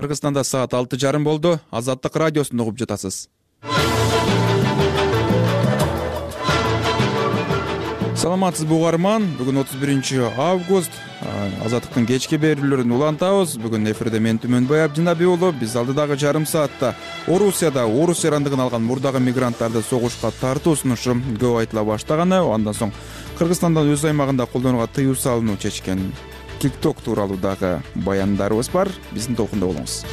Кыргызстанда саат 6:30 болду. Азаттык радиосун угуп жатасыз. Саламатсызбы угарман? Бүгүн 31 август. Азаттыктын кечки берүүлөрүн улантабыз. Бүгүн эфирде мен Түмөнбай Абдинабий уулу. Биз алдыдагы жарым саатта Орусияда орус эрандыгын алган мурдагы мигранттарды согушка тартуу сунушу көп айтыла баштаганы, андан соң Кыргызстандан өз аймагында колдонууга тыюу салынуу чечкен TikTok тууралуу дагы баяндарыбыз бар. Биздин толкунда болуңуз.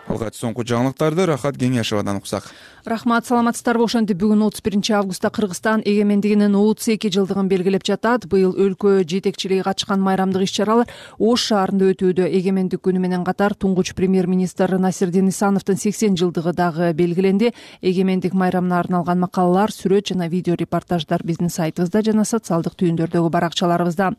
Алгач соңку жаңылыктарды Рахат Кеңешевадан уксак. Рахмат, саламатсыздарбы? Ошентип бүгүн 31 августта Кыргызстан эгемендигинин 32 жылдыгын белгилеп жатат. Быйыл өлкө жетекчилиги катышкан майрамдык иш-чаралар Ош шаарында өтүүдө. Эгемендик күнү менен катар туңгуч премьер-министр Насирдин Исановдун 80 жылдыгы дагы белгиленди. Эгемендик майрамына арналган макалалар, сүрөт жана видео репортаждар биздин сайтыбызда жана социалдык түйүндөрдөгү баракчаларыбызда.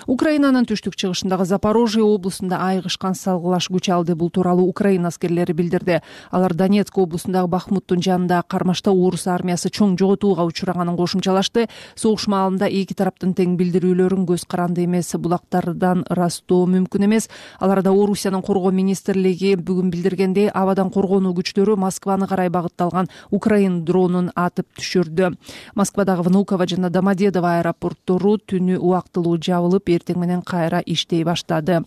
Украинанын түштүк чыгышындагы Запорожье облусунда айыгышкан салгылаш күч алды. Бул тууралуу Украина аскерлери билдирди. Алар Донецк облусундагы Бахмуттун Кармашта орус армиясы чоң жоготууга учураганын кошумчалашты. Согуш маалында эки тараптын тең билдирүүлөрүн көз каранды эмес булактардан ырастоо мүмкүн эмес. Аларда Орусиянын коргоо министрлиги бүгүн билдиргендей, абадан коргонуу күчтөрү Москваны карай багытталган Украин дронун атып түшүрдү. Москвадагы Внуково жана Домодедово аэропорттору түнү убактылуу жабылып, эртең менен кайра иштей баштады.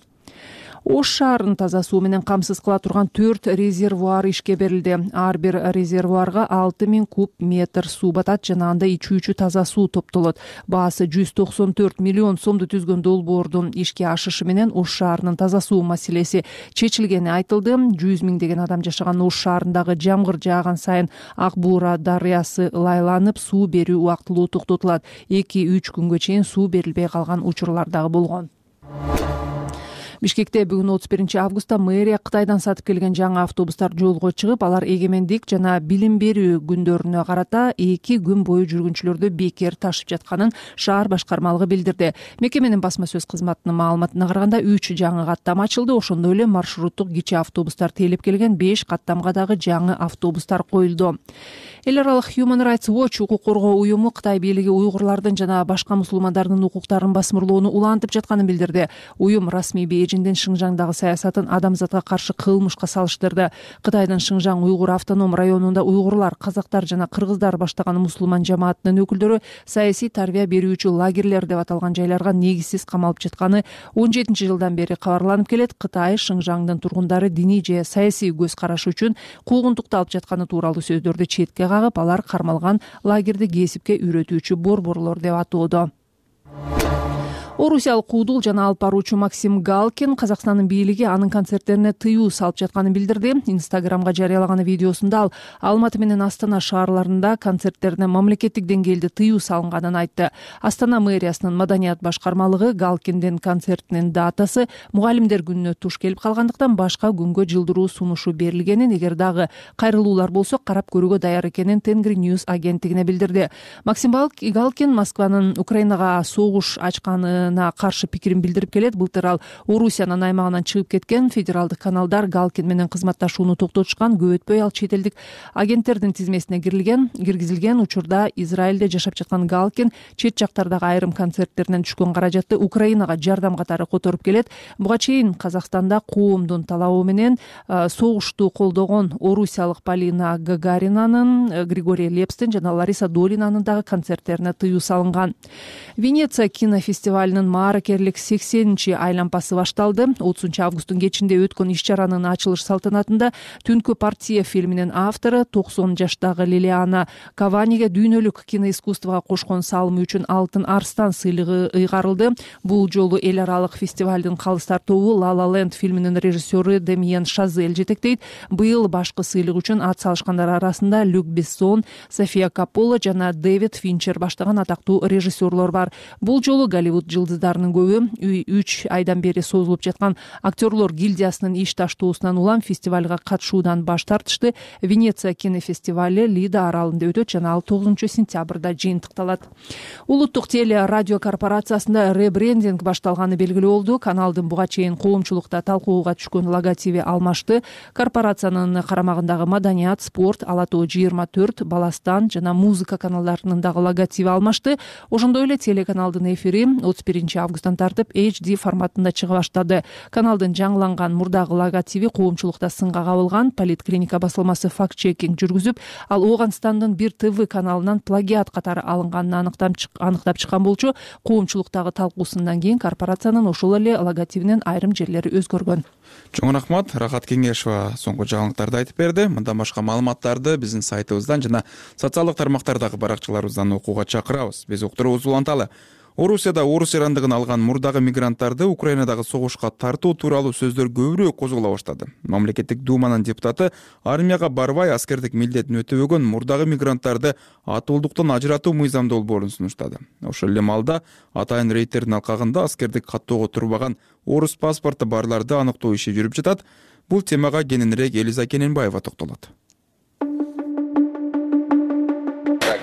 Ош шаарын таза суу менен камсыз кыла турган 4 резервуар ишке берилди. Ар бир резервуарга 6000 куб метр суу батат жана анда ичүүчү таза суу топтолот. Баасы 194 миллион сомду түзгөн долбоордун ишке ашышы менен Ош шаарынын таза суу маселеси чечилгени айтылды. 100 миңдеген адам жашаган Ош шаарындагы жамгыр жааган сайын Ак Буура дарыясы лайланып, суу берүү убактылуу токтотулат. 2-3 күнгө чейин суу берилбей калган учурлар дагы болгон. Бишкекте бүгүн 31 августта мэрия Кытайдан сатып келген жаңы автобустар жолго чыгып, алар эгемендик жана билим берүү күндөрүнө карата 2 күн бою жүргүнчүлөрдү бекер ташып жатканын шаар башкармалыгы билдирди. Мекеменин басма сөз кызматынын маалыматына караганда 3 жаңы каттам ачылды. Ошондой эле маршруттук кичи автобустар тейлеп келген 5 каттамга дагы жаңы автобустар коюлду. Эл аралык Human Rights Watch укук коргоо уюму Кытай бийлиги уйгурлардын жана башка мусулмандардын укуктарын басмырлоону улантып жатканын билдирди. Уюм расмий Бейжиңдин Шыңжаңдагы саясатын адамзатка каршы кылмышка салыштырды. Кытайдын Шыңжаң уйгур автоном районунда уйгурлар, казактар жана кыргыздар баштаган мусулман жамаатынын өкүлдөрү саясий тарбия берүүчү лагерлер деп аталган жайларга негизсиз камалып жатканы 17 жылдан бери кабарланып келет. Кытай Шыңжаңдын тургундары диний же саясий көз карашы үчүн куугунтукталып жатканы тууралуу сөздөрдү четке кагып, алар кармалган лагерди кесипке үйрөтүүчү борборлор деп атоодо. Орусиялык куудул жана алып баруучу Максим Галкин Казакстандын бийлиги анын концерттерине тыюу салып жатканын билдирди. Инстаграмга жарыялаган видеосунда ал Алматы менен Астана шаарларында концерттерине мамлекеттик деңгээлде тыюу салынганын айтты. Астана мэриясынын маданият башкармалыгы Галкиндин концертинин датасы мугалимдер күнүнө туш келип калгандыктан башка күнгө жылдыруу сунушу берилгенин, эгер дагы кайрылуулар болсо карап көрүүгө даяр экенин Тенгри News агенттигине билдирди. Максим Галкин Москванын Украинага согуш ачканы каршы пикирин билдирип келет. Былтыр ал Орусиянын аймагынан чыгып кеткен. Федералдык каналдар Галкин менен кызматташууну токтотушкан. Көп өтпөй ал чет элдик агенттердин тизмесине киргизилген. Учурда Израилде жашап жаткан Галкин чет жактардагы айрым концерттеринен түшкөн каражатты Украинага жардам катары которуп келет. Буга чейин Казакстанда коомдун талабы менен согушту колдогон орусиялык Полина Гагаринанын, Григорий Лепстин жана Лариса Долинанын дагы концерттерине тыюу салынган. Венеция кинофестивалынын мааракерлик 80-чи айлампасы башталды. 30 августтун кечинде өткөн иш-чаранын ачылыш салтанатында Түнкү партия фильминин автору 90 жаштагы Лилиана Каваниге дүйнөлүк киноискусствого кошкон салымы үчүн Алтын Арстан сыйлыгы ыйгарылды. Бул жолу эл аралык фестивалдын калыстар тобу La La Land фильминин режиссеру Демьен Шазель жетектейт. Быйыл башкы сыйлык үчүн ат салышкандар арасында Люк Бессон, София Каппола жана Дэвид Финчер баштаган атактуу режиссерлор бар. Бул жолу Голливуд жылдыздарынын көбү 3 айдан бери созулуп жаткан актерлор гильдиясынын иш таштоосунан улам фестивалга катышуудан баш тартышты. Венеция кинофестивали Лида аралында өтөт жана ал 9 сентябрда жыйынтыкталат. Улуттук теле радио корпорациясында ребрендинг башталганы белгилүү болду. Каналдын буга чейин коомчулукта талкууга түшкөн логотиби алмашты. Корпорациянын карамагындагы маданият, спорт, Ала Тоо 24, Баластан жана музыка каналдарынын дагы логотиби алмашты. Ошондой эле телеканалдын эфири 31 1 августтан тартып HD форматында чыга баштады. Каналдын жаңыланган мурдагы логотиби коомчулукта сынга кабылган. Политклиника басылмасы факт-чекинг жүргүзүп, ал Ооганстандын бир ТВ каналынан плагиат катары алынганын аныктап чыккан болчу. Коомчулуктагы талкуусундан кийин корпорациянын ошол эле логотибинин айрым жерлери өзгөргөн. Чоң рахмат. Рахат Кеңешова соңку жаңылыктарды айтып берди. Мындан башка маалыматтарды биздин сайтыбыздан жана социалдык тармактардагы баракчаларыбыздан окууга чакырабыз. Биз уктуруубузду уланталы. Орусияда орус ирандыгын алган мурдагы мигранттарды Украинадагы согушка тартуу тууралуу сөздөр көбүрөөк козголо баштады. Мамлекеттик думанын депутаты армияга барбай аскердик милдетин өтөбөгөн мурдагы мигранттарды атуулдуктан ажыратуу мыйзам долбоорун сунуштады. Ошол эле маалда атайын рейдтердин алкагында аскердик каттоого турбаган орус паспорту барларды аныктоо иши жүрүп жатат. Бул темага кененирээк Элиза Кененбаева токтолот.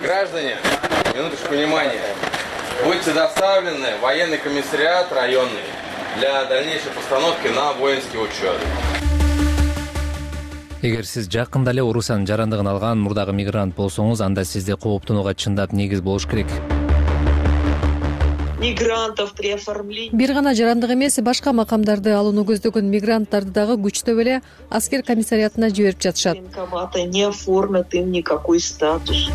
Граждане, минуточку внимания. Будьте доставлены в военный комиссариат районный для дальнейшей постановки на воинский учет. Эгер сиз жакында эле Орусиянын жарандыгын алган мурдагы мигрант болсоңуз, анда сизде кооптонууга чындап негиз болуш керек. Мигрантов при оформлении. Бир гана жарандык эмес, башка макамдарды алууну көздөгөн мигранттарды дагы күчтөп эле аскер комиссариатына жиберип жатышат. Военкоматы не оформят им никакой статус.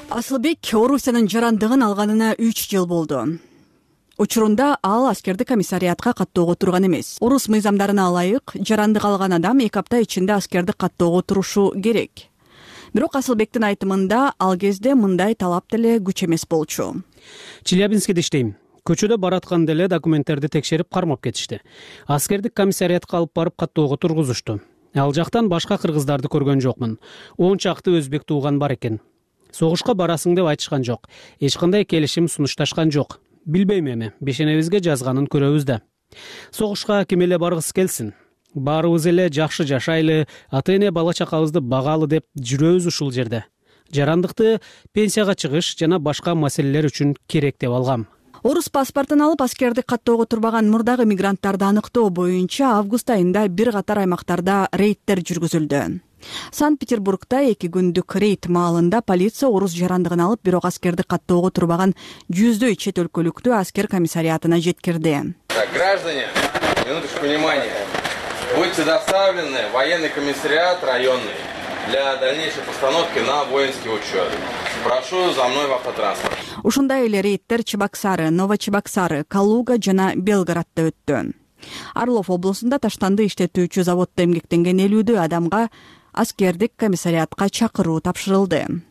Асылбек Орусиянын жарандыгын алганына 3 жыл болду. Учурунда ал аскердик комиссариатка каттоого турган эмес. Орус мыйзамдарына ылайык, жарандык алган адам 2 апта ичинде аскердик каттоого турушу керек. Бирок Асылбектин айтымында ал кезде мындай талап деле күч эмес болчу. Челябинскиде иштейм. Көчөдө баратканда эле документтерди текшерип кармап кетишти. Аскердик комиссариатка алып барып каттоого тургузушту. Ал жактан башка кыргыздарды көргөн жокмун. 10 чакты өзбек тууган бар экен. Согушка барасың деп айтышкан жок. Эч кандай келишим сунушташкан жок. Билбейм эми, бешенебизге жазганын көрөбүз да. Согушка ким эле баргысы келсин. Баарыбыз эле жакшы жашайлы, ата-эне бала чакабызды багалы деп жүрөбүз ушул жерде. Жарандыкты пенсияга чыгыш жана башка маселелер үчүн керек деп алгам. Орус паспортун алып аскердик каттоого турбаган мурдагы мигранттарды аныктоо боюнча август айында бир катар аймактарда рейдтер жүргүзүлдү. Санкт-Петербургда 2 күндүк рейд маалында полиция орус жарандыгын алып, бирок аскердик каттоого турбаган 100дөй чет өлкөлүктү аскер комиссариатына жеткирди. Так, граждане, минуточку внимания. Будьте доставлены в военный комиссариат районный для дальнейшей постановки на воинский учет. Прошу за мной в автотранспорт. Ушундай эле рейдтер Чебоксары, Новочебоксары, Калуга жана Белгороддо өттү. Орлов облусунда таштанды иштетүүчү заводдо эмгектенген 50 адамга аскердик комиссариатка чакыруу тапшырылды.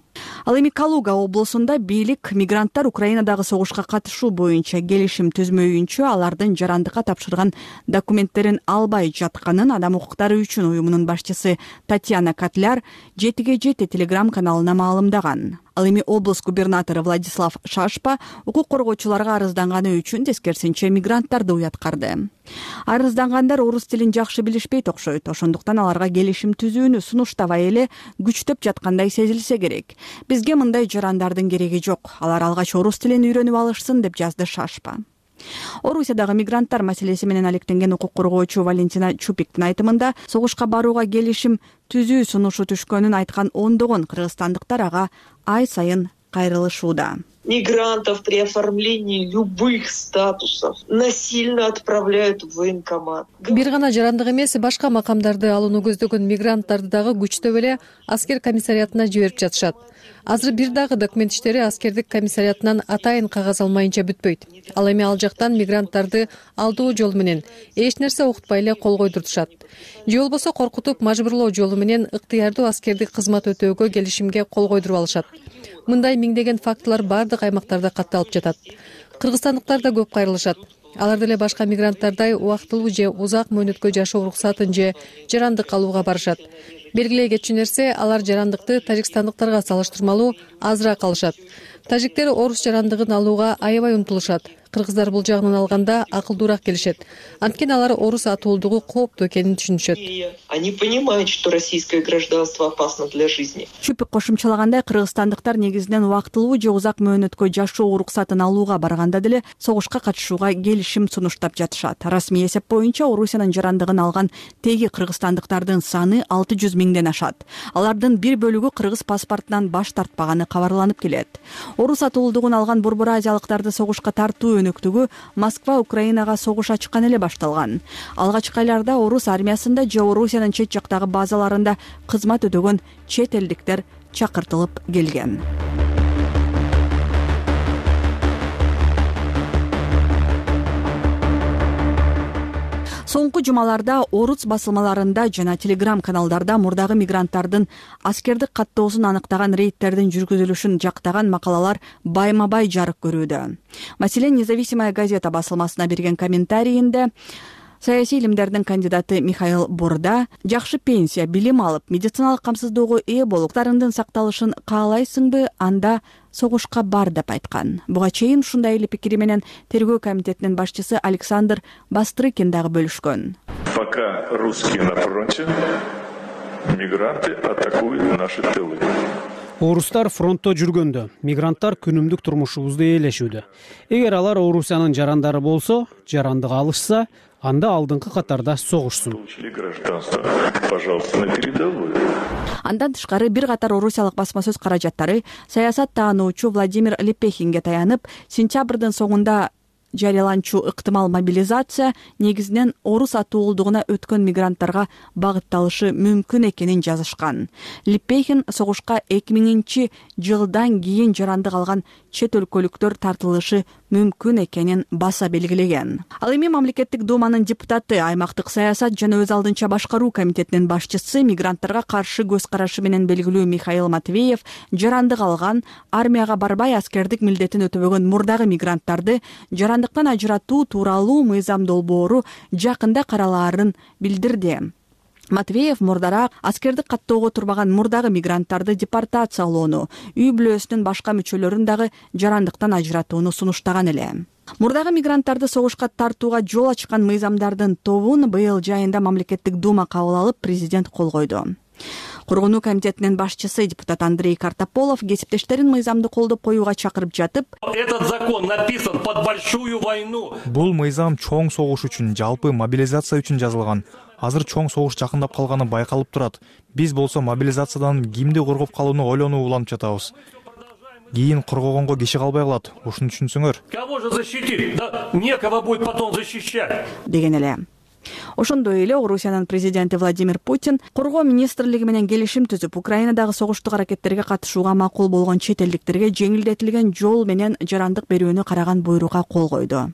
Ал эми Калуга облусунда бийлик мигранттар Украинадагы согушка катышуу боюнча келишим түзмөйүнчө алардын жарандыкка тапшырган документтерин албай жатканын Адам укуктары үчүн уюмунун башчысы Татьяна Котляр 7/7 телеграм каналына маалымдаган. Ал эми облус губернатору Владислав Шашпа укук коргоочуларга арызданганы үчүн тескерисинче мигранттарды уяткарды. Арыздангандар орус тилин жакшы билишпейт окшойт, ошондуктан аларга келишим түзүүнү сунуштабай эле күчтөп жаткандай сезилсе керек. Бизге мындай жарандардын кереги жок. Алар алгач орус тилин үйрөнүп алышсын, деп жазды Шашпа. Орусиядагы мигранттар маселеси менен алектенген укук коргоочу Валентина Чупиктин айтымында согушка барууга келишим түзүү сунушу түшкөнүн айткан ондогон кыргызстандыктар ага ай сайын кайрылышууда. Мигрантов при оформлении любых статусов насильно отправляют в военкомат. Бир гана жарандык эмес, башка макамдарды алууну көздөгөн мигранттарды дагы күчтөп эле аскер комиссариатына жиберип жатышат. Азыр бир дагы документ иштери аскердик комиссариатынан атайын кагаз алмайынча бүтпөйт. Ал эми ал жактан мигранттарды алдоо жолу менен эч нерсе окутпай эле кол койдуртушат. Же болбосо коркутуп мажбурлоо жолу менен ыктыярдуу аскердик кызмат өтөөгө келишимге кол койдуруп алышат. Мындай миңдеген фактылар бардык аймактарда катталып жатат. Кыргызстандыктар да көп кайрылышат. Алар деле башка мигранттардай убактылуу же узак мөөнөткө жашоо уруксатын же жарандык алууга барышат. Белгилей кетчү нерсе, алар жарандыкты тажикстандыктарга салыштырмалуу азыраак алышат. Тажиктер орус жарандыгын алууга аябай умтулушат. кыргыздар бул жагынан алганда акылдуураак келишет. Анткени алар орус атуулдугу кооптуу экенин түшүнүшөт. Они понимают, что российское гражданство опасно для жизни. Шүпүк кошумчалагандай, кыргызстандыктар негизинен убактылуу же узак мөөнөткө жашоо уруксатын алууга барганда деле согушка катышууга келишим сунуштап жатышат. Расмий эсеп боюнча Орусиянын жарандыгын алган теги кыргызстандыктардын саны 600 миңден ашат. Алардын бир бөлүгү кыргыз паспортунан баш тартпаганы кабарланып келет. Орус атуулдугун алган борбор азиялыктарды согушка тартуу өнөктүгү Москва Украинага согуш ачкан эле башталган. Алгачкы айларда орус армиясында же Орусиянын чет жактагы базаларында кызмат өтөгөн чет элдиктер чакыртылып келген. Соңку жумаларда орус басылмаларында жана телеграм каналдарда мурдагы мигранттардын аскердик каттоосун аныктаган рейдтердин жүргүзүлүшүн жактаган макалалар байма-бай жарык көрүүдө. Маселен, Независимая газета басылмасына берген комментарийинде саясий илимдердин кандидаты Михаил Борда жакшы пенсия, билим алып, медициналык камсыздоого ээ болуп, тарыңдын сакталышын каалайсыңбы, анда согушка бар деп айткан. Буга чейин ушундай эле пикири менен тергөө комитетинин башчысы Александр Бастрыкин дагы бөлүшкөн. Пока русские на фронте, мигранты атакуют наши тылы. Орустар фронтто жүргөндө, мигранттар күнүмдүк турмушубузду ээлешүүдө. Эгер алар Орусиянын жарандары болсо, жарандык алышса, анда алдыңкы катарда согушсун. Пожалуйста, на передовую. Андан тышкары бир катар орусиялык басма сөз каражаттары саясат таануучу Владимир Лепехинге таянып, сентябрдын соңунда жарыяланчу ыктымал мобилизация негизинен орус атуулдугуна өткөн мигранттарга багытталышы мүмкүн экенин жазышкан. Лепехин согушка 2000-жылдан кийин жарандык алган чет өлкөлүктөр тартылышы мүмкүн экенин баса белгилеген. Ал эми мамлекеттик думанын депутаты, аймактык саясат жана өз алдынча башкаруу комитетинин башчысы, мигранттарга каршы көз карашы менен белгилүү Михаил Матвеев жарандык алган, армияга барбай аскердик милдетин өтөбөгөн мурдагы мигранттарды жарандыктан ажыратуу тууралуу мыйзам долбоору жакында каралаарын билдирди. Матвеев мурдараак аскердик каттоого турбаган мурдагы мигранттарды депортациялоону, үй бүлөсүнүн башка мүчөлөрүн дагы жарандыктан ажыратууну сунуштаган эле. Мурдагы мигранттарды согушка тартууга жол ачкан мыйзамдардын тобун быйыл жайында мамлекеттик дума кабыл алып, президент кол койду. Коргонуу комитетинин башчысы депутат Андрей Картополов кесиптештерин мыйзамды колдоп коюуга чакырып жатып, этот закон написан под большую войну. Бул мыйзам чоң согуш үчүн, жалпы мобилизация үчүн жазылган. Азыр чоң согуш жакындап калганы байкалып турат. Биз болсо мобилизациядан кимди коргоп калууну ойлонуп уланып жатабыз. Кийин коргогонго киши калбай калат. Ушуну түшүнсөңөр. Кого же защитить? Да некого будет потом защищать. Деген эле. Ошондой эле Орусиянын президенти Владимир Путин коргоо министрлиги менен келишим түзүп, Украинадагы согуштук аракеттерге катышууга макул болгон чет элдиктерге жеңилдетилген жол менен жарандык берүүнү караган буйрукка кол койду.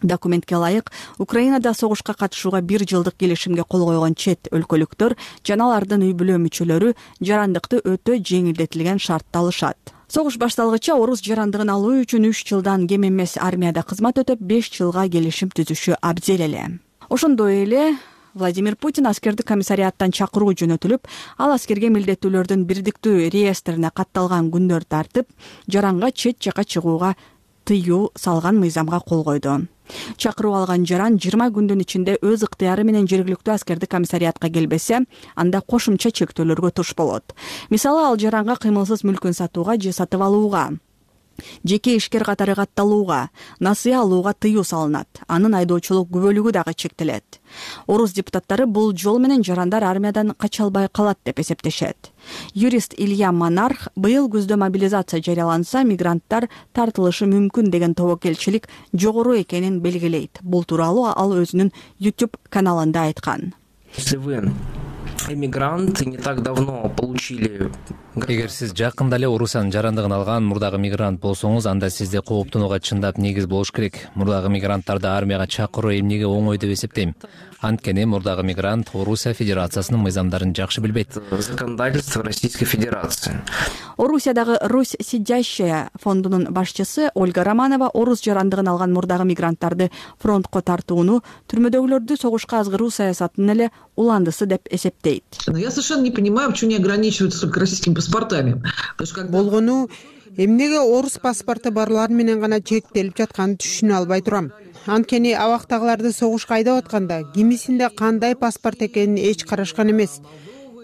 Документке ылайык, Украинада согушка катышууга 1 жылдык келишимге кол койгон чет өлкөлүктөр жана алардын үй бүлө мүчөлөрү жарандыкты өтө жеңилдетилген шартта алышат. Согуш башталгыча орус жарандыгын алуу үчүн 3 жылдан кем эмес армияда кызмат өтөп 5 жылга келишим түзүшү абзел эле. Ошондой эле Владимир Путин аскердик комиссариаттан чакыруу жөнөтүлүп, ал аскерге милдеттүүлөрдүн бирдиктүү реестрине катталган күндөр тартып, жаранга чет жакка чыгууга тыюу салган мыйзамга кол койду. Чакыруу алган жаран 20 күндүн ичинде өз ыктыяры менен жергиликтүү аскердик комиссариатка келбесе, анда кошумча чектөөлөргө туш болот. Мисалы, ал жаранга кыймылсыз мүлкүн сатууга же сатып алууга, жеке ишкер катары катталууга, насыя алууга тыюу салынат. Анын айдоочулук күбөлүгү дагы чектелет. Орус депутаттары бул жол менен жарандар армиядан кача албай калат деп эсептешет. Юрист Илья Монарх быйыл күздө мобилизация жарыяланса, мигранттар тартылышы мүмкүн деген тобокелчилик жогору экенин белгилейт. Бул тууралуу ал өзүнүн YouTube каналында айткан. Если вы эмигрант, не так давно получили. Эгер сиз жакында эле Орусиянын жарандыгын алган мурдагы мигрант болсоңуз, анда сизде кооптонууга чындап негиз болуш керек. Мурдагы мигранттарды армияга чакыруу эмнеге оңой деп эсептейм. Анткени мурдагы мигрант Орусия Федерациясынын мыйзамдарын жакшы билбейт. Законодательство Российской Федерации. Орусиядагы Русь сидящая фондунун башчысы Ольга Романова орус жарандыгын алган мурдагы мигранттарды фронтко тартууну түрмөдөгүлөрдү согушка азгыруу саясатынын эле уландысы деп эсептейт. дейт. Я совершенно не понимаю, почему не ограничиваются только российскими паспортами. Болгону эмнеге орус паспорту барлар менен гана чектелип жатканын түшүнө албай турам. Анткени абактагыларды согушка айдап атканда кимисинде кандай паспорт экенин эч карашкан эмес.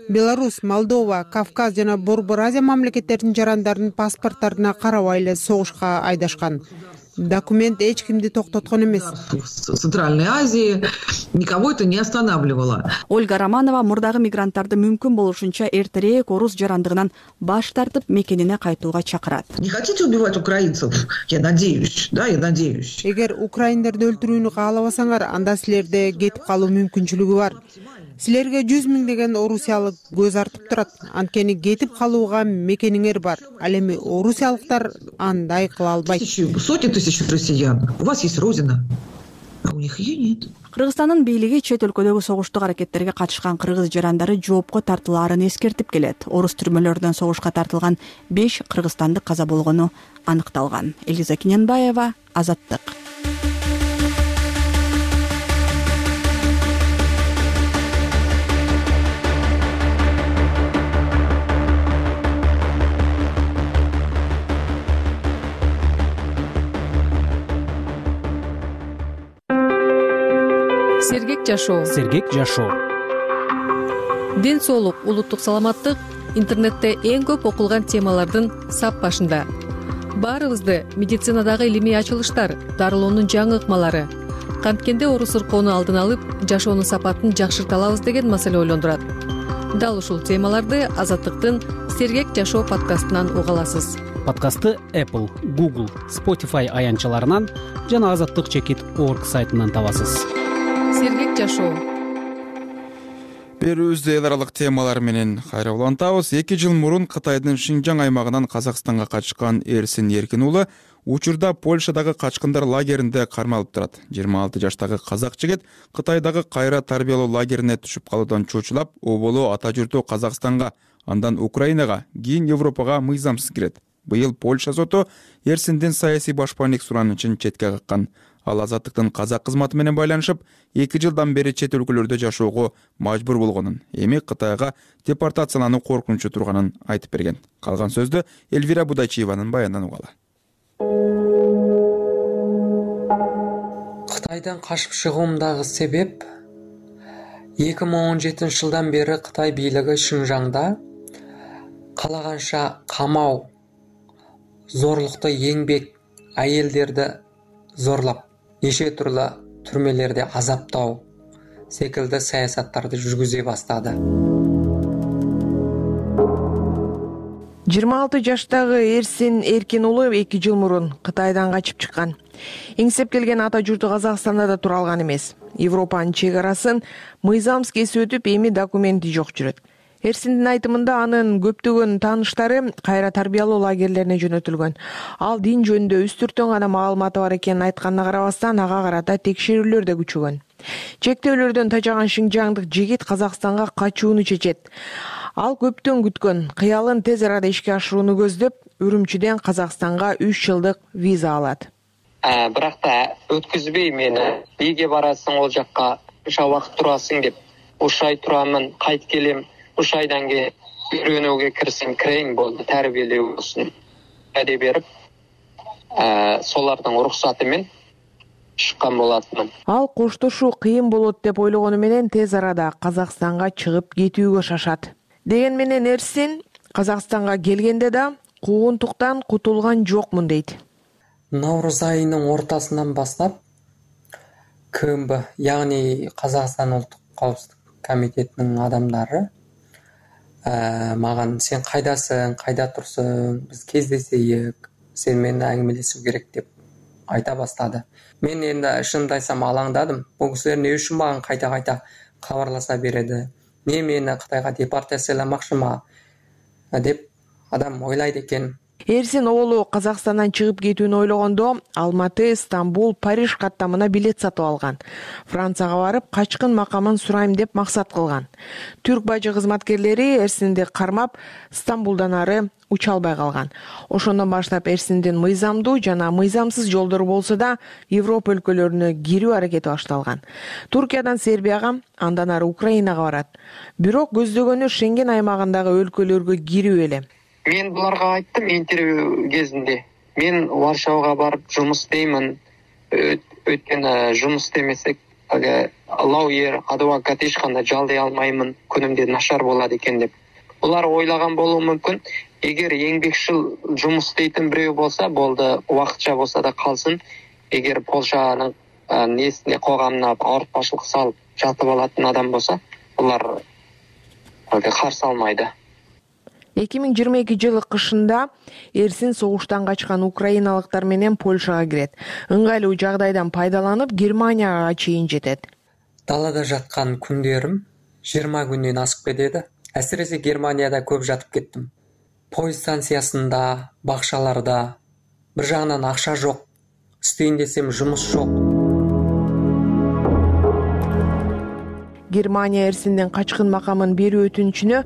Беларусь, Молдова, Кавказ жана Борбор Азия мамлекеттеринин жарандарынын паспорттарына карабай эле согушка айдашкан. Документ эч кимди токтоткон эмес. В Центральной Азии никого это не останавливало. Ольга Романова мурдагы мигранттарды мүмкүн болушунча эртерээк орус жарандыгынан баш тартып мекенине кайтууга чакырат. Не хотите убивать украинцев? Я надеюсь, я надеюсь. Эгер украиндерди өлтүрүүнү каалабасаңар, анда силерде кетип калуу мүмкүнчүлүгү бар. Силерге 100 миңдеген орусиялык көз артып турат. Анткени кетип калууга мекениңер бар. Ал эми орусиялыктар андай кыла албайт. Сотни тысяч россиян. У вас есть родина, а у них ее нет. Кыргызстандын бийлиги чет өлкөдөгү согуштук аракеттерге катышкан кыргыз жарандары жоопко тартылаарын эскертип келет. Орус түрмөлөрүнөн согушка тартылган 5 кыргызстандык каза болгону аныкталган. Элиза Киненбаева, Азаттык. Сергек жашоо. Ден соолук, улуттук саламаттык интернетте эң көп окулган темалардын сап башында. Баарыбызды медицинадагы илимий ачылыштар, дарылоонун жаңы ыкмалары, канткенде орус ыркоону алдын алып, жашоонун сапатын жакшырта алабыз деген маселе ойлондурат. Дал ушул темаларды Азаттыктын Сергек жашоо подкастынан уга аласыз. Подкастты Apple, Google, Spotify аянтчаларынан жана azattyk.org сайтынан табасыз. Сергек жашоо. Берүүбүздө эл аралык темалар менен кайра улантабыз. 2 жыл мурун Кытайдын Шинжаң аймагынан Казакстанга качкан Эрсин Эркин уулу учурда Польшадагы качкындар лагеринде кармалып турат. 26 жаштагы казак жигит Кытайдагы кайра тарбиялоо лагерине түшүп калуудан чочулап, оболу ата журту Казакстанга, андан Украинага, кийин Европага мыйзамсыз кирет. Быйыл Польша соту Эрсиндин саясий башпаандык суранычын четке каккан. Ал Азаттыктын казак кызматы менен байланышып, 2 жылдан бери чет өлкөлөрдө жашоого мажбур болгонун, эми Кытайга депортациялануу коркунучу турганын айтып берген. Калган сөздү Эльвира Будачиеванын баянынан угалы. Кытайдан качып чыгуумдагы себеп 2017 жылдан бери Кытай бийлиги Шинжаңда калаганча камау, зорлукту еңбек, айелдерди зорлап, неше түрлүү түрмелерде азаптоо секилди саясаттарды жүргүзө баштады. 26 жаштагы Эрсин Эркин уулу 2 жыл мурун Кытайдан качып чыккан. Эңсеп келген ата журту Казакстанда да тура алган эмес. Европанын чек арасын мыйзамсыз кесип өтүп, эми документи жок жүрөт. Эрсиндин айтымында анын көптөгөн тааныштары кайра тарбиялоо лагерлерине жөнөтүлгөн. Ал дин жөнүндө үстүртөн гана маалыматы бар экенин айтканына карабастан, ага карата текшерүүлөр да күчөгөн. Чектөөлөрдөн тажаган шинжаңдык жигит Казакстанга качууну чечет. Ал көптөн күткөн кыялын тез арада ишке ашырууну көздөп, Үрүмчүдөн Казакстанга 3 жылдык виза алат. Бирок да өткүзбөй мени. Ийге барасың, ол жакка уша убакыт турасың деп. Ушай турамын, кайт келем. Уш айдан кийин үйрөнүүгө кирсең, кирейин болду, тарбиялөө болсун. Аде берип, солардын уруксаты менен чыккан болатмын. Ал коштошуу кыйын болот деп ойлогону менен тез арада Казакстанга чыгып кетүүгө шашат. Деген менен Эрсин Казакстанга келгенде да куугунтуктан кутулган жокмун дейт. Наурыз айынын ортасынан баштап КМБ, яғни Казакстан улуттук коопсуздук комитетинин адамдары маган сен кайдасың, кайда турсуң, биз кездесейик, сен менен аңгемелешүү керек деп айта баштады. Мен энди шынымды айтсам алаңдадым. Бул кишилер эмне үчүн мага кайта кабарласа береді? Мени Кытайга депортацияламакчымы деп адам ойлойт экен. Эрсин оолу Казакстандан чыгып кетүүнү ойлогондо Алматы, Стамбул, Париж каттамына билет сатып алган. Францияга барып качкын макамын сурайм деп максат кылган. Түрк бажы кызматкерлери Эрсинди кармап, Стамбулдан ары уча албай калган. Ошондон баштап Эрсиндин мыйзамдуу жана мыйзамсыз жолдору болсо да Европа өлкөлөрүнө кирүү аракети башталган. Туркиядан Сербияга, андан ары Украинага барат. Бирок көздөгөнү Шенген аймагындагы өлкөлөргө кирүү эле. Мен буларга айттым интервью кезинде. Мен Варшавага барып жумуш істеймин. Өткөн жумуш истемесек, лауер, адвокат эч кандай жалдый алмаймын. Күнүмдө начар болот экен деп. Булар ойлаган болуу мүмкүн. Эгер еңбекчил жумуш істейтин бирөө болсо, болду, убакытча болсо да калсын. Эгер Польшанын несине коомуна ауыртпачылык салып жатып алатын адам болсо, булар каршы алмайды. 2022 жылы кышында Эрсин согуштан качкан украиналыктар менен Польшага кирет. Ыңгайлуу жагдайдан пайдаланып Германияга чейин жетет. Далада жаткан күндөрүм 20 күндөн асып кетеди. Әсіресе Германияда көп жатып кеттім. Пойыз станциясында, бакчаларда. Бір жағынан акча жок. Істейин десем жұмыс жок. Германия Эрсиндин качкын макамын берүү өтүнүчүнө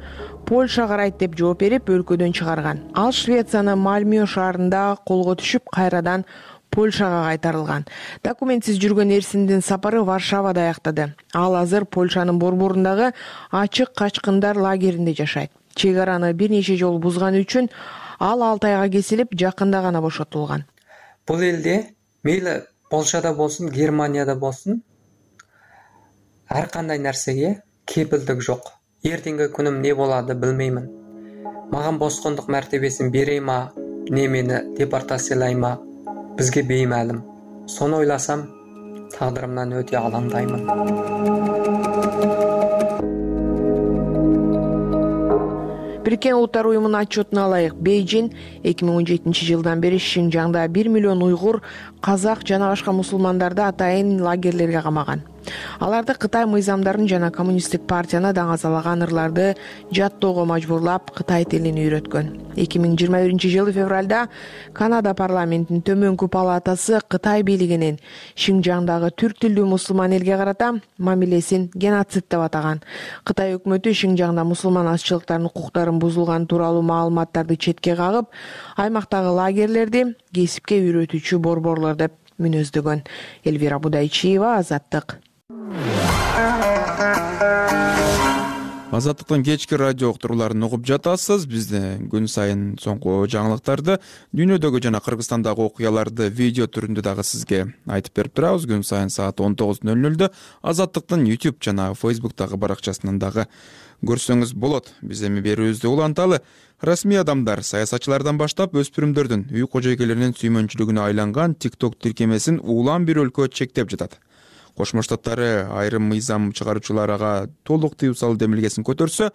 Польша карайт деп жооп берип өлкөдөн чыгарган. Ал Швециянын Мальмö шаарында колго түшүп, кайрадан Польшага кайтарылган. Документсиз жүргөн Эрсиндин сапары Варшавада аяктады. Ал азыр Польшанын борборундагы ачык качкындар лагеринде жашайт. Чек араны бир нече жолу бузганы үчүн ал 6 айга кесилип, жакында гана бошотулган. Бул элде мейли Польшада болсун, Германияда болсун, ар кандай нерсеге кепилдик жок. Эртеңки күнүм не болады билмеймин. Маган боскондук мартебесин берейма, не мени депортациялайма, бизге беймәлим. Сону ойласам, тагдырымдан өтө алаңдаймын. Бириккен Улуттар уюмунун отчетуна ылайык, Бейжин 2017 жылдан бери Шинжаңда 1 миллион уйгур, казак жана башка мусулмандарды атайын лагерлерге камаган. Аларды Кытай мыйзамдарын жана коммунисттик партияны даңазалаган ырларды жаттоого мажбурлап, Кытай тилин үйрөткөн. 2021 жылы февралда Канада парламентинин төмөнкү палатасы Кытай бийлигинин Шинжаңдагы түрк тилдүү мусулман элге карата мамилесин геноцид деп атаган. Кытай өкмөтү Шинжаңда мусулман азчылыктардын укуктарын бузулган тууралуу маалыматтарды четке кагып, аймактагы лагерлерди кесипке үйрөтүүчү борборлор деп мүнөздөгөн. Элвира Будайчиева, Азаттык. Азаттыктын кечки радио уктурууларын угуп жатасыз. Бизде күн сайын соңку жаңылыктарды, дүйнөдөгү жана Кыргызстандагы окуяларды видео түрүндө дагы сизге айтып берип турабыз. Күн сайын саат 19:00 Азаттыктын YouTube жана Facebook'тагы баракчасынан дагы көрсөңүз болот. Биз эми берүүбүздү уланталы. Расмий адамдар саясатчылардан баштап өспүрүмдөрдүн үй кожойкелеринин сүймөнчүлүгүнө айланган TikTok тиркемесин улам бир өлкө чектеп жатат. Кошмо Штаттары айрым мыйзам чыгаруучулар ага толук тыюу салуу демилгесин көтөрсө,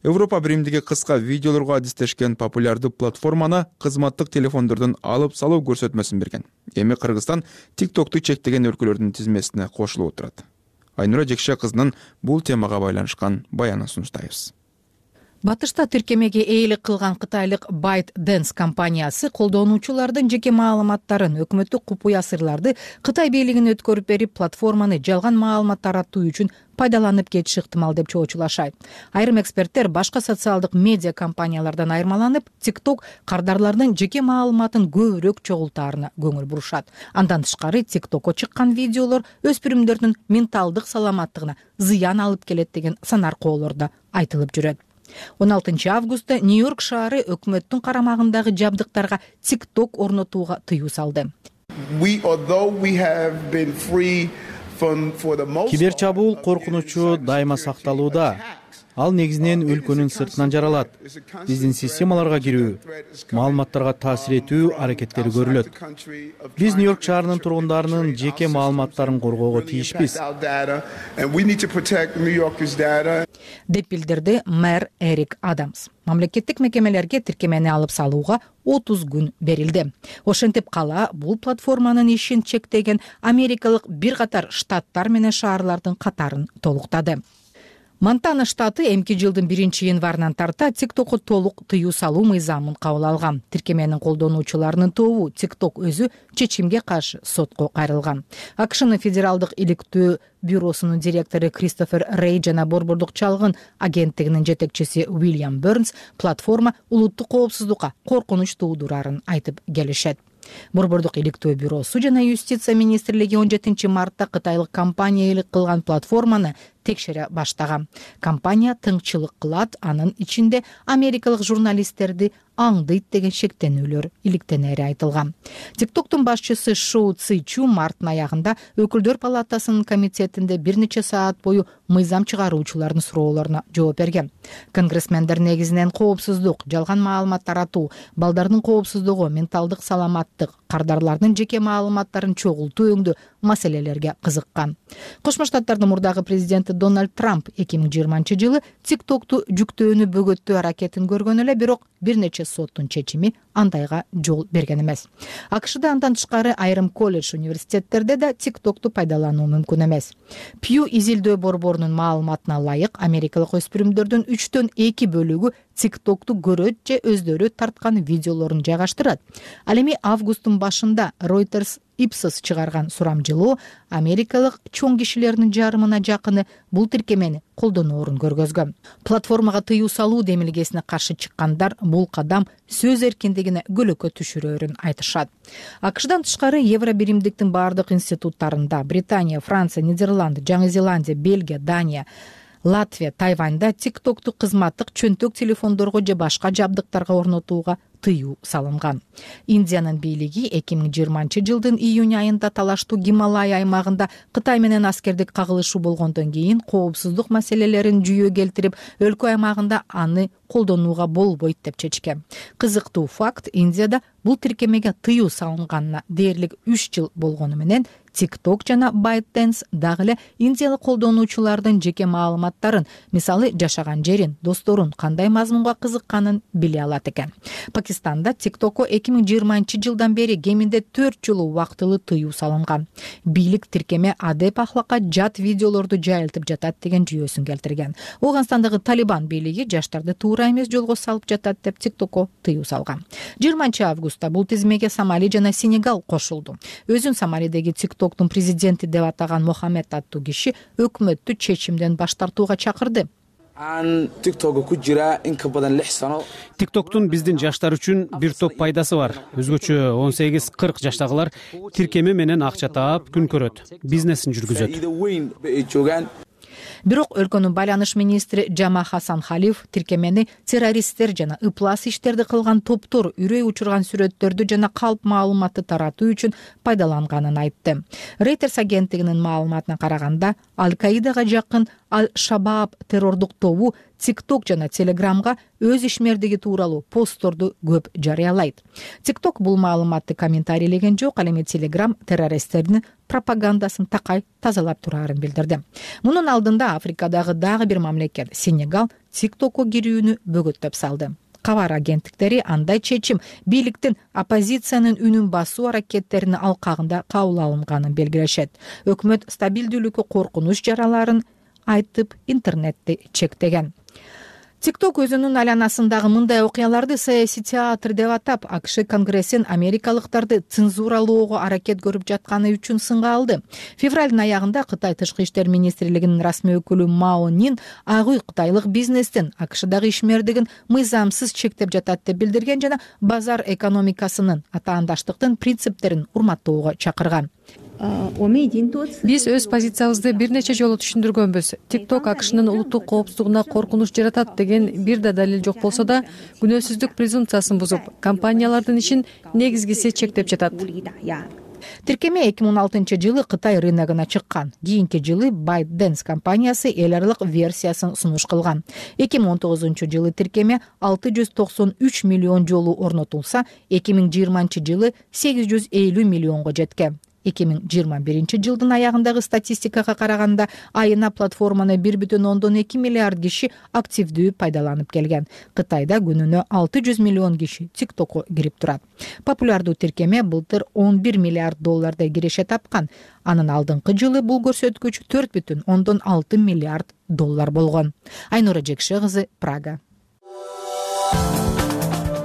Европа Биримдиги кыска видеолорго адистешкен популярдуу платформаны кызматтык телефондордон алып салуу көрсөтмөсүн берген. Эми Кыргызстан TikTok'ту чектеген өлкөлөрдүн тизмесине кошулуп турат. Айнура Жекше кызынын бул темага байланышкан баянын сунуштайбыз. Батышта тиркемеге ээлик кылган кытайлык ByteDance компаниясы колдонуучулардын жеке маалыматтарын, өкмөттүк купуя сырларды Кытай бийлигине өткөрүп берип, платформаны жалган маалымат таратуу үчүн пайдаланып кетиши ыктымал деп чоочулашат. Айрым эксперттер башка социалдык медиа компаниялардан айырмаланып, TikTok кардарлардын жеке маалыматын көбүрөөк чогултаарына көңүл бурушат. Андан тышкары TikTokко чыккан видеолор өспүрүмдөрдүн менталдык саламаттыгына зыян алып келет деген санаркоолор да айтылып жүрөт. 16 августта Нью-Йорк шаары өкмөттүн карамагындагы жабдыктарга TikTok орнотууга тыюу салды. Киберчабуул коркунучу дайыма сакталууда. Ал негизинен өлкөнүн сыртынан жаралат. Биздин системаларга кирүү, маалыматтарга таасир этүү аракеттери көрүлөт. Биз Нью-Йорк шаарынын тургундарынын жеке маалыматтарын коргоого тийишпиз, деп билдирди мэр Эрик Адамс. Мамлекеттик мекемелерге тиркемени алып салууга 30 күн берилди. Ошентип кала бул платформанын ишин чектеген америкалык бир катар штаттар менен шаарлардын катарын толуктады. Монтана штаты эмки жылдын 1-январынан тарта TikTok'у толук тыюу салуу мыйзамын кабыл алган. Тиркеменин колдонуучуларынын тобу TikTok өзү чечимге каршы сотко кайрылган. АКШнын федералдык иликтөө бюросунун директору Кристофер Рей жана Борбордук чалгын агенттигинин жетекчиси Уильям Бернс платформа улуттук коопсуздукка коркунуч туудурарын айтып келишет. Борбордук иликтөө бюросу жана юстиция министрлиги 17-мартта кытайлык компания элик кылган платформаны текшере баштаган. Компания тыңчылык кылат, анын ичинде америкалык журналисттерди аңдыйт деген шектенүүлөр иликтенери айтылган. TikToктун башчысы Шоу Ци Чу марттын аягында өкүлдөр палатасынын комитетинде бир нече саат бою мыйзам чыгаруучулардын суроолоруна жооп берген. Конгрессмендер негизинен коопсуздук, жалган маалымат таратуу, балдардын коопсуздугу, менталдык саламаттык, кардарлардын жеке маалыматтарын чогултуу өңдүү маселелерге кызыккан. Кошмо Штаттардын мурдагы президенти Дональд Трамп 2020-жылы TikToкту жүктөөнү бөгөттөө аракетин көргөн эле, бирок бир нече соттун чечими андайга жол берген эмес. АКШда андан тышкары айрым колледж, университеттерде да TikToкту пайдалануу мүмкүн эмес. Pew изилдөө борборунун маалыматына ылайык, америкалык өспүрүмдөрдүн 3/2 бөлүгү TikToкту көрөт же өздөрү тарткан видеолорун жайгаштырат. Ал эми августтун башында Reuters Ipsos чыгарган сурамжылоо америкалык чоң кишилердин жарымына жакыны бул тиркемени колдоноорун көргөзгөн. Платформага тыюу салуу демилгесине каршы чыккандар бул кадам сөз эркиндигине көлөкө түшүрөөрүн айтышат. АКШдан тышкары Евробиримдиктин бардык институттарында Британия, Франция, Нидерланд, Жаңы Зеландия, Бельгия, Дания, Латвия, Тайваньда TikToкту кызматтык чөнтөк телефондорго же башка жабдыктарга орнотууга тыюу салынган. Индиянын бийлиги 2020-жылдын июнь айында талаштуу Гималай аймагында Кытай менен аскердик кагылышуу болгондон кийин коопсуздук маселелерин жүйө келтирип, өлкө аймагында аны колдонууга болбойт деп чечкен. Кызыктуу факт, Индияда бул тиркемеге тыюу салынганына дээрлик 3 жыл болгону менен TikTok жана ByteDance дагы эле индиялык колдонуучулардын жеке маалыматтарын, мисалы жашаган жерин, досторун, кандай мазмунга кызыкканын биле алат экен. Пакистанда TikTok'ко 2020-жылдан бери кеминде 4 жолу убактылуу тыюу салынган. Бийлик тиркеме адеп ахлакка жат видеолорду жайылтып жатат деген жүйөсүн келтирген. Ооганстандагы Талибан бийлиги жаштарды туура эмес жолго салып жатат деп TikTok'ко тыюу салган. 20-августта бул тизмеге Сомали жана Сенегал кошулду. Өзүн Сомалидеги TikToктун президенти деп атаган Мохамед аттуу киши өкмөттү чечимден баш тартууга чакырды. TikToктун биздин жаштар үчүн бир топ пайдасы бар. Өзгөчө 18-40 жаштагылар тиркеме менен акча таап күн көрөт, бизнесин жүргүзөт. Бирок өлкөнүн байланыш министри Жама Хасан Халиф тиркемени террористтер жана ыплас иштерди кылган топтор үрөй учурган сүрөттөрдү жана калп маалыматты таратуу үчүн пайдаланганын айтты. Reuters агенттигинин маалыматына караганда, Аль-Каидага жакын Аль-Шабаб террордук тобу TikTok жана Telegramга өз ишмердиги тууралуу постторду көп жарыялайт. TikTok бул маалыматты комментарийлеген жок, ал эми Telegram террористтердин пропагандасын такай тазалап турарын билдирди. Мунун алдында Африкадагы дагы бир мамлекет Сенегал TikTok'ко кирүүнү бөгөттөп салды. Кабар агенттиктери андай чечим бийликтин оппозициянын үнүн басуу аракеттеринин алкагында кабыл алынганын белгилешет. Өкмөт стабилдүүлүккө коркунуч жараларын айтып интернетти чектеген. TikTok өзүнүн айланасындагы мындай окуяларды саясий театр деп атап, АКШ Конгрессин америкалыктарды цензуралоого аракет көрүп жатканы үчүн сынга алды. Февралдын аягында Кытай тышкы иштер министрлигинин расмий өкүлү Мао Нин Ак үй кытайлык бизнестин АКШдагы ишмердигин мыйзамсыз чектеп жатат деп билдирген жана базар экономикасынын атаандаштыктын принциптерин урматтоого чакырган. Биз өз позициябызды бир нече жолу түшүндүргөнбүз. TikTok АКШнын улуттук коопсуздугуна коркунуч жаратат деген бир да далил жок болсо да, күнөөсүздүк презумпциясын бузуп, компаниялардын ишин негизгиси чектеп жатат. Тиркеме 2016-жылы Кытай рыногуна чыккан. Кийинки жылы ByteDance компаниясы эл аралык версиясын сунуш кылган. 2019-жылы тиркеме 693 миллион жолу орнотулса, 2020-жылы 850 миллионго жеткен. 2021 аягындагы статистикага караганда айына платформаны 1,2 миллиард киши активдүү пайдаланып келген. Кытайда күнүнө 600 миллион киши TikTok'ко кирип турат. Популярдуу тиркеме былтыр $11 миллиард киреше тапкан. Анын алдыңкы жылы бул көрсөткүч $4,6 миллиард болгон. Айнура Жекше кызы, Прага.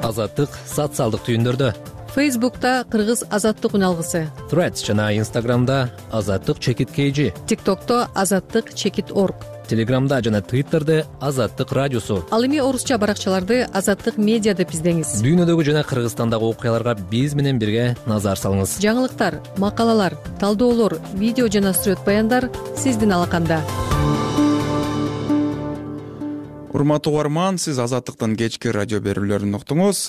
Азаттык социалдык түйүндөрдө. Фейсбукта кыргыз азаттык үналгысы, Threads жана Instagramда азаттык чекит KG, TikTokто азаттык чекит org, Телеграмда жана Twitterде азаттык радиосу. Ал эми орусча баракчаларды азаттык медиа деп издеңиз. Дүйнөдөгү жана Кыргызстандагы окуяларга биз менен бирге назар салыңыз. Жаңылыктар, макалалар, талдоолор, видео жана сүрөт баяндар сиздин алаканда. Урматтуу угарман, сиз Азаттыктын кечки радио берүүлөрүн уктуңуз.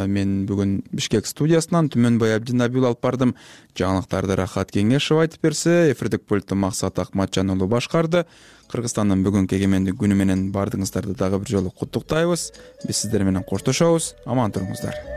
Мен бүгүн Бишкек студиясынан Түмөнбай Абдинабиул алып бардым. Жаңылыктарды Рахат Кеңешов айтып берсе, эфирдик пультту Максат Акматжан уулу башкарды. Кыргызстандын бүгүнкү эгемендик күнү менен баардыгыңыздарды дагы бир жолу куттуктайбыз. Биз сиздер менен коштошобуз. Аман туруңуздар.